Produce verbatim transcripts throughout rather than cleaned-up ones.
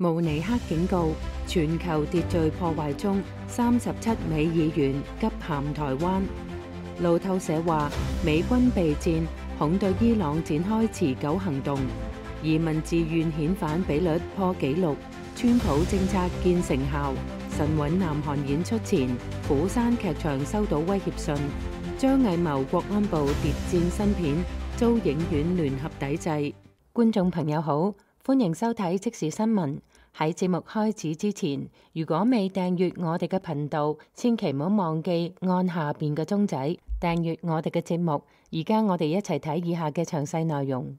慕尼黑警告，全球秩序破壞中，三十七美議員急函台灣。路透社話，美軍備戰，恐對伊朗展開持久行動。移民自願遣返比率破紀錄，川普政策見成效。神韻南韓演出前，釜山劇場收到威脅信。張藝謀國安部諜戰新片遭影院聯合抵制。觀眾朋友好，歡迎收睇即時新聞。喺節目開始之前，如果未訂閱我哋嘅頻道，千祈唔好忘記按下邊嘅鐘仔訂閱我哋嘅節目。而家我哋一齊睇以下嘅詳細內容。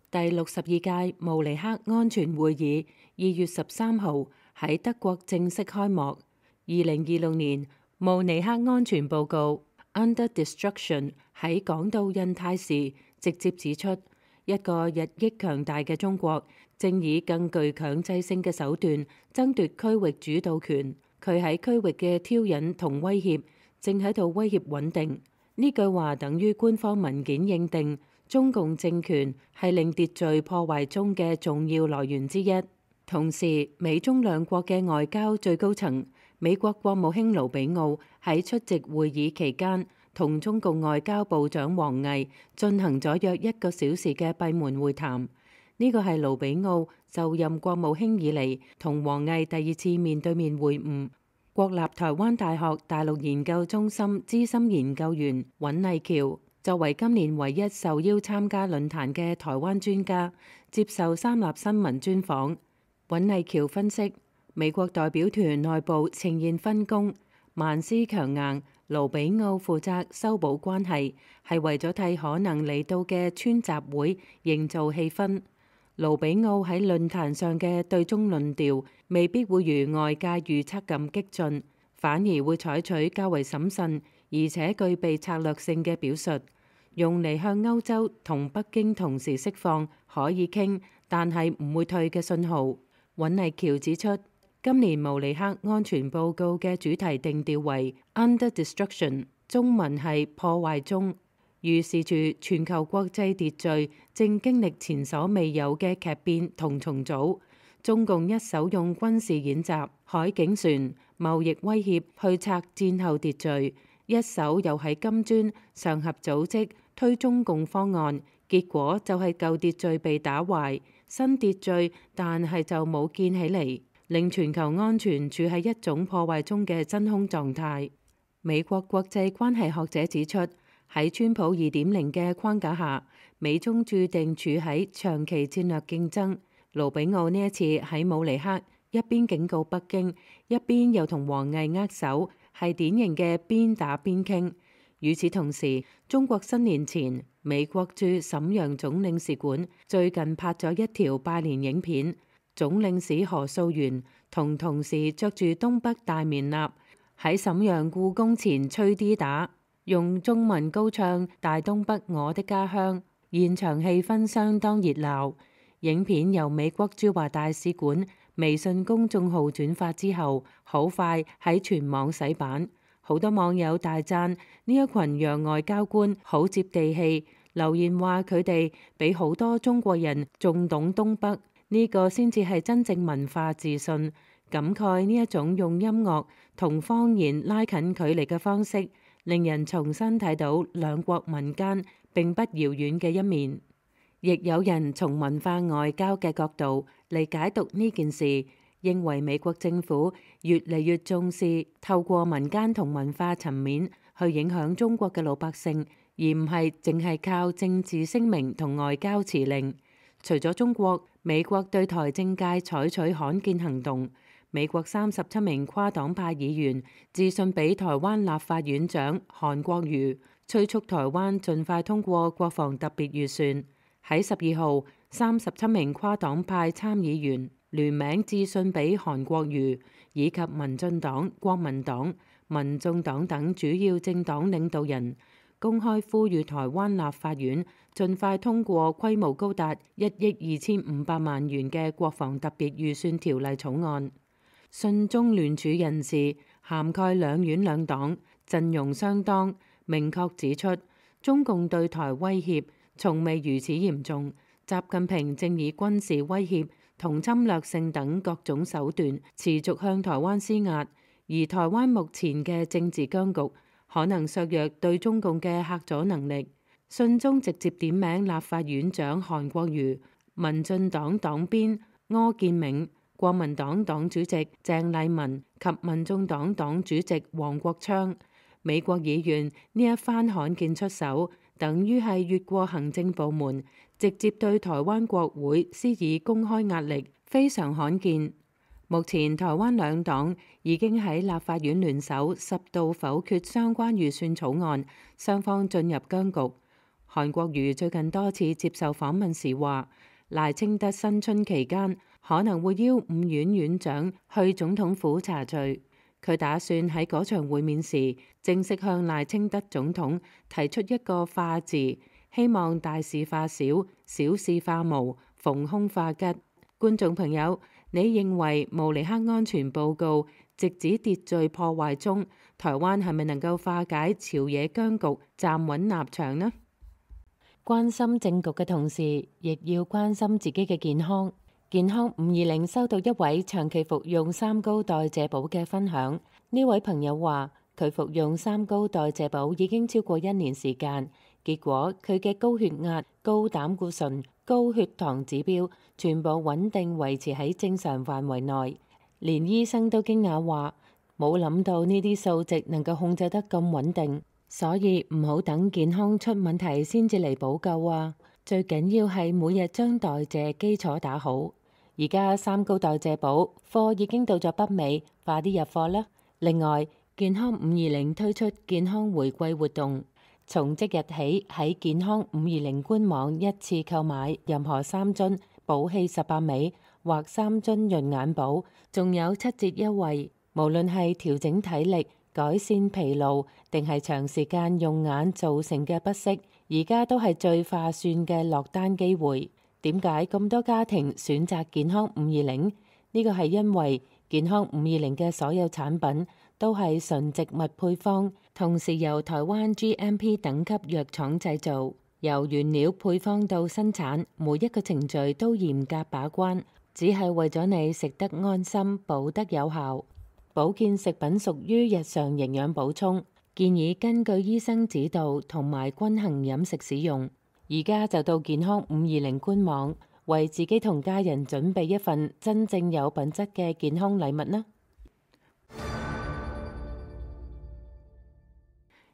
第六十二屆慕尼黑安全會議二月十三號喺德國正式開幕。二零二六年慕尼黑安全報告 Under Destruction 喺講到印太時，直接指出一個日益強大嘅中國正以更具強制性嘅手段爭奪區域主導權。佢喺區域嘅挑釁同威脅正喺度威脅穩定。呢句話等於官方文件認定中共政權係令秩序破壞中嘅重要來源之一。同時，美中兩國嘅外交最高層美國國務卿盧比奧喺出席會議期間，同中共外交部長王毅進行咗約一個小時嘅閉門會談。呢個係盧比奧就任國務卿以嚟同王毅第二次面對面會晤。國立台灣大學大陸研究中心資深研究員尹麗橋作為今年唯一受邀參加論壇嘅台灣專家，接受三立新聞專訪。尹麗橋分析，美國代表團內部呈現分工，萬斯強硬，盧比奧負責修補關係，係為咗替可能嚟到嘅川習會營造氣氛。盧比奧喺論壇上嘅對中論調未必會如外界預測咁激進，反而會採取較為審慎而且具備策略性嘅表述，用嚟向歐洲同北京同時釋放可以傾但係唔會退嘅信號。尹麗橋指出，今年慕尼黑安全報告嘅主題定調為 Under Destruction， 中文係破壞中，預示住全球國際秩序正經歷前所未有嘅劇變同重組。中共一手用軍事演習、海警船、貿易威脅去拆戰後秩序，一手又喺金磚上合組織推中共方案，結果就係舊秩序被打壞，新秩序但係就冇建起嚟，令全球安全處喺一種破壞中嘅真空狀態。美國國際關係學者指出，喺川普二點零嘅框架下，美中注定處喺長期戰略競爭。盧比奧呢一次喺慕尼黑一邊警告北京，一邊又同王毅握手，係典型嘅邊打邊傾。與此同時，中國新年前，美國駐瀋陽總領事館最近拍咗一條拜年影片，總領事何素媛同同事着住東北大棉衲喺瀋陽故宮前吹 D 打，用中文高唱《大東北我的家鄉》，現場氣氛相當熱鬧。影片由美國駐華大使館微信公眾號轉發之後，好快喺全網洗版。好多網友大讚呢一群洋外交官好接地氣，留言話佢哋比好多中國人仲懂東北，呢個先至係真正文化自信。感慨呢一種用音樂同方言拉近距離嘅方式，令人重新睇到兩國民間並不遙遠嘅一面。亦有人從文化外交嘅角度嚟解讀呢件事，認為美國政府越嚟越重視透過民間同文化層面去影響中國嘅老百姓，而唔係淨係靠政治聲明同外交辭令。除咗中國，美國對台政界採取罕見行動。美國三十七名跨黨派議員致信俾台灣立法院長韓國瑜，催促台灣盡快通過國防特別預算。喺十二號，三十七名跨黨派參議員聯名致信俾韓國瑜以及民進黨、國民黨、民眾黨等主要政黨領導人，公開呼籲台灣立法院盡快通過規模高達一億二千五百萬元嘅國防特別預算條例草案。信中聯署人士涵蓋兩院兩黨，陣容相當，明確指出中共對台威脅從未如此嚴重，習近平正以軍事威脅同侵略性等各種手段持續向台灣施壓，而台灣目前嘅政治僵局可能削弱對中共嘅嚇阻能力。信中直接點名立法院長韓國瑜、民進黨黨鞭柯建銘、國民黨黨主席鄭麗文及民眾黨黨主席黃國昌。美國議員呢一番罕見出手，等於係越過行政部門，直接對台灣國會施以公開壓力，非常罕見。目前台灣兩黨已經喺立法院聯手十度否決相關預算草案，雙方進入僵局。韓國瑜最近多次接受訪問時話，賴清德新春期間可能會邀五院院長去總統府查罪。佢打算喺嗰場會面時，正式向賴清德總統提出一個化字，希望大事化小，小事化無，逢凶化吉。觀眾朋友，你認為慕尼黑安全報告直指秩序破壞中，台灣係咪能夠化解朝野僵局，站穩立場呢？關心政局嘅同時，亦要關心自己嘅健康。健康五二零收到一位長期服用三高代謝寶嘅分享。呢位朋友話，佢服用三高代謝寶已經超過一年時間，結果佢嘅高血壓、高膽固醇、高血糖指標全部穩定維持喺正常範圍內。連醫生都驚訝話，冇諗到呢啲數值能夠控制得咁穩定，所以唔好等健康出問題先至嚟補救啊！最緊要係每日將代謝基礎打好。而家三高代謝寶貨已經到咗北美，快啲入貨啦！另外，健康五二零推出健康回饋活動，從即日起喺健康五二零官網一次購買任何三樽寶氣十八味或三樽潤眼寶，仲有七折優惠。無論係調整體力、改善疲勞，定係長時間用眼造成嘅不適，而家都係最划算嘅落單機會。點解咁多家庭選擇健康五二零？呢個係因為健康五二零嘅所有產品都係純植物配方，同時由台灣 G M P 等級藥廠製造，由原料配方到生產，每一個程序都嚴格把關，只係為咗你食得安心、補得有效。保健食品屬於日常營養補充，建議根據醫生指導同埋均衡飲食使用。而家就到健康五二零官網，為自己同家人準備一份真正有品質嘅健康禮物啦！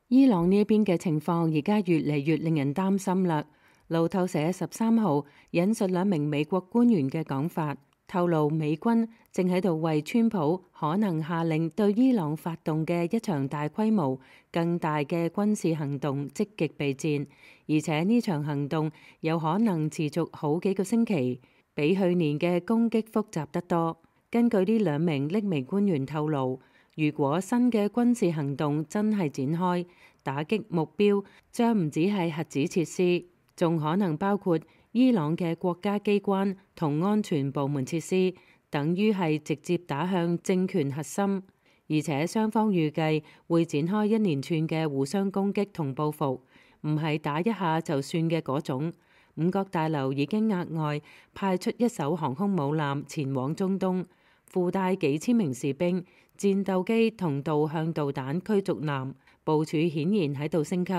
伊朗呢邊嘅情況而家越嚟越令人擔心啦。路透社十三號引述兩名美國官員嘅講法，透露美軍正喺度為川普可能下令對伊朗發動嘅一場大規模、更大嘅軍事行動積極備戰，而且呢場行動有可能持續好幾個星期，比去年嘅攻擊複雜得多。根據呢兩名匿名官員透露，如果新嘅軍事行動真係展開，打擊目標將唔止係核子設施，仲可能包括伊朗嘅國家機關同安全部門設施，等於係直接打向政權核心。而且雙方預計會展開一連串嘅互相攻擊同報復，唔係打一下就算嘅嗰種。五角大樓已經額外派出一艘航空母艦前往中東，附帶幾千名士兵、戰鬥機同導向導彈驅逐艦，部署顯然喺度升級。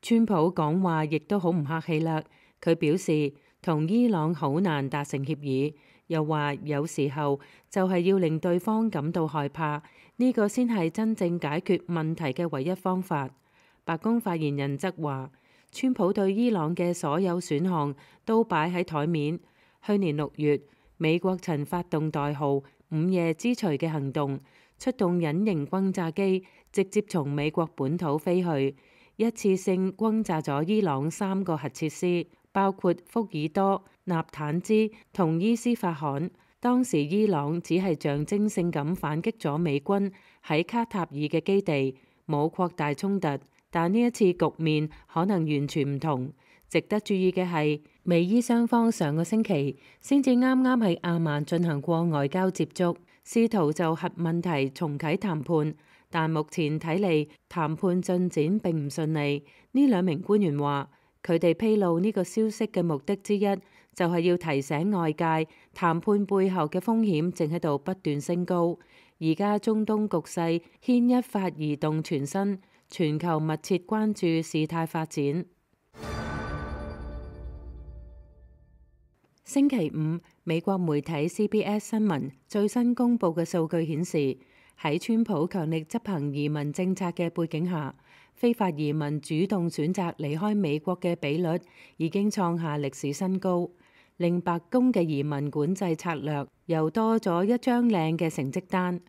川普講話亦都好唔客氣啦，佢表示同伊朗好難達成協議，又話有時候就係要令對方感到害怕，呢個先係真正解決問題嘅唯一方法。白宮發言人則話，川普對伊朗嘅所有選項都擺喺台面。去年六月，美國曾發動代號午夜之錘嘅行動，出動隱形轟炸機，直接從美國本土飛去，一次性轟炸咗伊朗三個核設施，包括福爾多、納坦茲同伊斯法罕。當時伊朗只係象徵性咁反擊咗美軍喺卡塔爾嘅基地，冇擴大衝突。但呢一次局面可能完全唔同。值得注意嘅係，美伊雙方上個星期先至啱啱喺阿曼進行過外交接觸，試圖就核問題重啟談判。但目前睇嚟，談判進展並唔順利。呢兩名官員話，佢哋披露呢個消息嘅目的之一就係要提醒外界，談判背後嘅風險正喺度不斷升高。而家中東局勢牽一發而動全身，全球密切關注事態發展。星期五，美國媒體 C B S 新聞最新公佈嘅數據顯示，喺川普強力執行移民政策嘅背景下，非法移民主動選擇離開美國嘅比率已經創下歷史新高，令白宮嘅移民管制策略又多咗一張靚嘅成績單。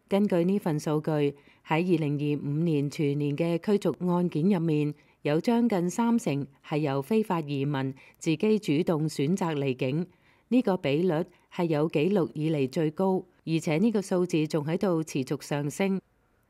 根據呢份數據，喺二零二五年全年嘅驅逐案件入面，有將近三成係由非法移民自己主動選擇離境，呢個比率係有紀錄以嚟最高，而且呢個數字仲喺度持續上升。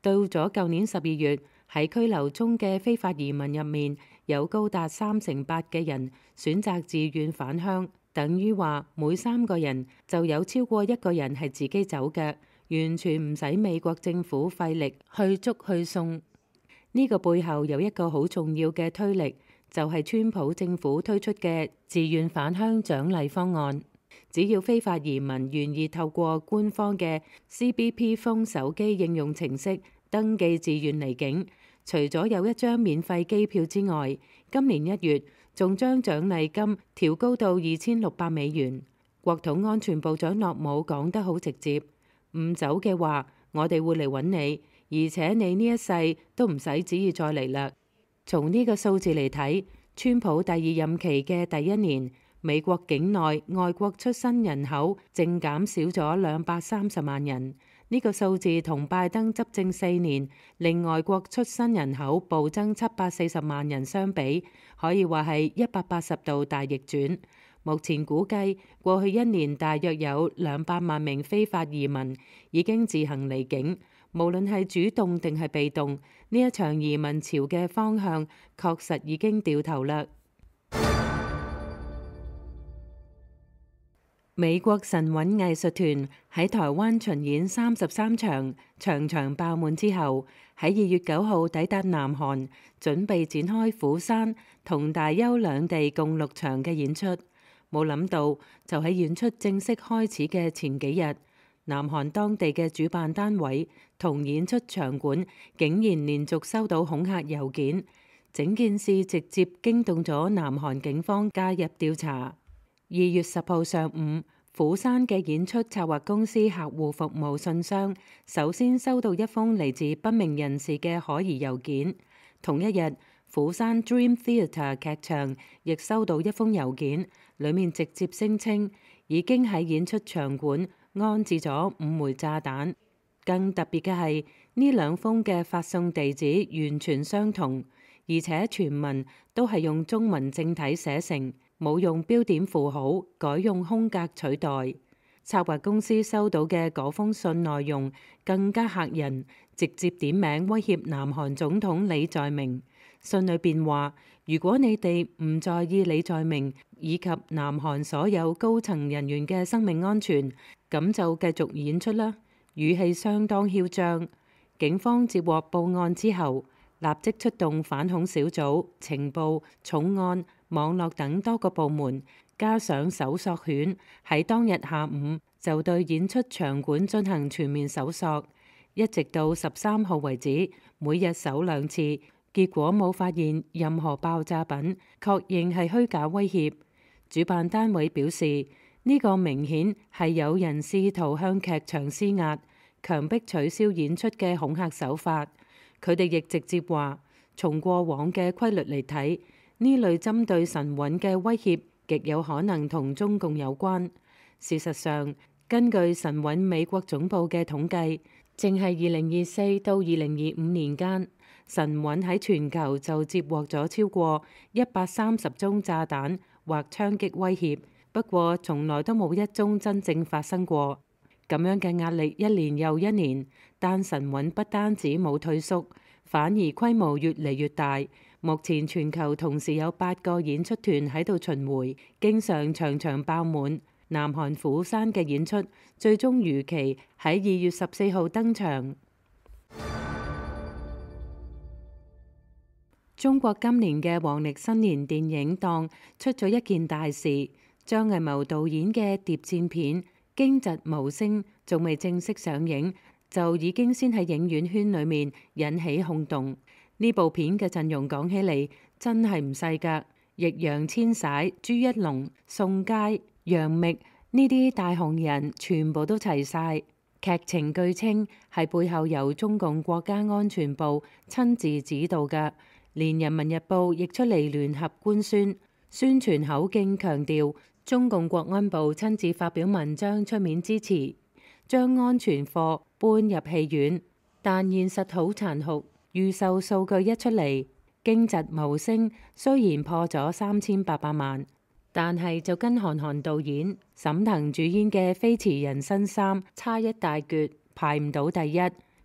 到咗舊年十二月，喺拘留中嘅非法移民入面，有高達三成八嘅人選擇自願返鄉，等於話每三個人就有超過一個人係自己走嘅，完全唔使美國政府費力去捉去送。呢個背後有一個好重要嘅推力，就係川普政府推出嘅自願返鄉獎勵方案。只要非法移民願意透過官方嘅 C B P Phone 手機應用程式登記自願離境，除咗有一張免費機票之外，今年一月仲將獎勵金調高到二千六百美元。國土安全部長諾姆講得好直接，唔走嘅話，我哋會嚟揾你，而且你呢一世都唔使旨意再嚟啦。從呢個數字嚟睇，川普第二任期嘅第一年，美國境內外國出生人口淨減少咗兩百三十萬人。呢個數字同拜登執政四年令外國出生人口暴增七百四十萬人相比，可以話係一百八十度大逆轉。目前估計過去一年大約有兩百萬名非法移民已經自行離境，無論係主動定係被動，呢一場移民潮嘅方向確實已經掉頭啦。美國神韻藝術團喺台灣巡演三十三場，場場爆滿之後，喺二月九號抵達南韓，準備展開釜山同大邱兩地共六場嘅演出。冇諗到，就喺演出正式開始嘅前幾日，南韓當地嘅主辦單位同演出場館竟然連續收到恐嚇郵件，整件事直接驚動咗南韓警方介入調查。二月十號上午，釜山嘅演出策劃公司客戶服務信箱首先收到一封嚟自不明人士嘅可疑郵件。同一日，釜山 Dream Theatre 劇場亦收到一封郵件，裡面直接聲稱已經喺演出場館安置咗五枚炸彈。更特別嘅係，呢兩封嘅發送地址完全相同，而且全文都係用中文正體寫成，冇用標點符號，改用空格取代。策劃公司收到嘅嗰封信內容更加嚇人，直接點名威脅南韓總統李在明。信裏邊話，如果你哋唔在意李在明以及南韓所有高層人員嘅生命安全，咁就繼續演出啦。語氣相當囂張。警方接獲報案之後，立即出動反恐小組、情報、重案、網絡等多個部門，加上搜索犬，喺當日下午就對演出場館進行全面搜索，一直到十三號為止，每日搜兩次，結果冇發現任何爆炸品，確認係虛假威脅。主辦單位表示，呢個明顯係有人試圖向劇場施壓，強迫取消演出嘅恐嚇手法。佢哋亦直接話，從過往嘅規律嚟睇，呢類針對神韻嘅威脅極有可能同中共有關。事實上，根據神韻美國總部嘅統計，淨係二零二四到二零二五年間，神韻喺全球就接獲咗超過一百三十宗炸彈或槍擊威脅。不過，從來都冇一宗真正發生過。咁樣嘅壓力一年又一年，但神韻不單止冇退縮，反而規模越嚟越大。目前全球同時有八個演出團喺度巡迴，經常場場爆滿。南韓釜山嘅演出最終如期喺二月十四號登場。中國今年嘅黃曆新年電影檔出咗一件大事。張藝謀導演嘅諜戰片《驚蟄無聲》仲未正式上映，就已經先喺影院圈裏面引起轟動。呢部片嘅陣容講起嚟真係唔細㗎，易烊千璽、朱一龍、宋佳、楊冪呢啲大紅人全部都齊晒。劇情據稱係背後由中共國家安全部親自指導㗎，連人民日報亦出嚟聯合官宣，宣傳口徑強調中共國安部親自發表文章出面支持，將安全貨搬入戲院。但現實好殘酷，預售數據一出嚟，《驚蟄無聲》雖然破咗三千八百萬，但係就跟韓寒導演、沈騰主演嘅《飛馳人生三》差一大橛，排唔到第一。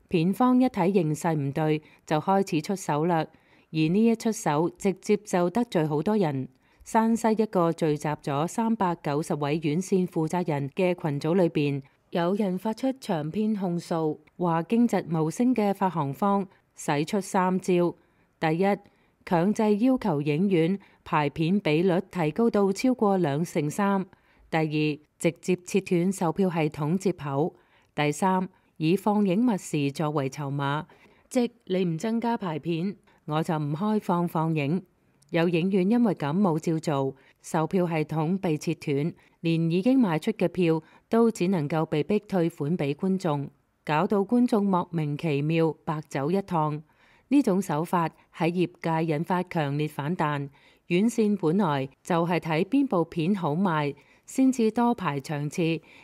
片方一睇形勢唔對，就開始出手啦。而呢一出手，直接就得罪好多人。山西一個聚集咗三百九十位院線負責人嘅群組裏邊，有人發出長篇控訴，話《驚蟄無聲》嘅發行方使出三招：第一，強制要求影院排片比率提高到超過兩成三；第二，直接切斷售票系統接口；第三，以放映密匙作為籌碼，即你唔增加排片，我就唔開放放映。有影院因為咁冇照做，售票系統被切斷，連已經賣出嘅票都只能夠被逼退款俾觀眾，搞到觀眾莫名其妙白走一趟。呢種手法喺業界引發強烈反彈。院線本來就係睇邊部片好賣先至多排場次，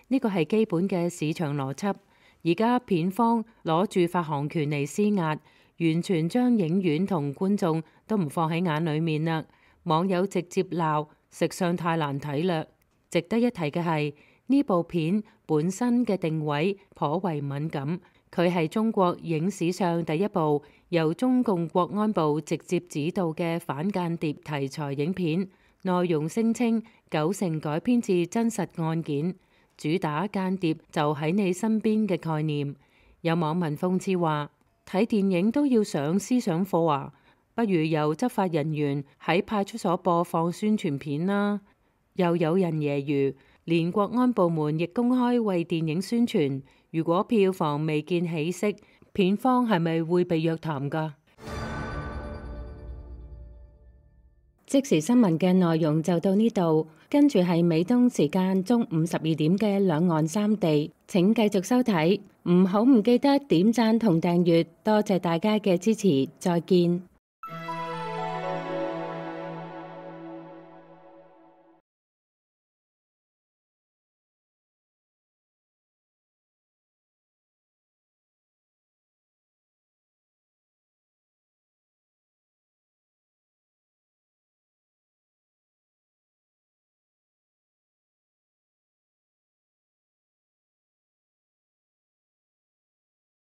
呢個係基本嘅市場邏輯。而家片方攞住發行權嚟施壓，完全將影院同觀眾都唔放喺眼裏面啦。網友直接鬧食相太難睇啦。值得一提嘅係，呢部片本身嘅定位頗為敏感，佢係中國影史上第一部由中共國安部直接指導嘅反間諜題材影片，內容聲稱九成改編自真實案件，主打間諜就喺你身邊嘅概念。有網民諷刺話：睇電影都要上思想課啊，不如由執法人員喺派出所播放宣傳片啦。又有人揶揄，連國安部門亦公開為電影宣傳，如果票房未見起色，片方係咪會被約談㗎？即時新聞嘅內容就到呢度，跟住係美東時間中午十二點嘅兩岸三地，請繼續收睇，唔好唔記得點讚同訂閱，多謝大家嘅支持，再見。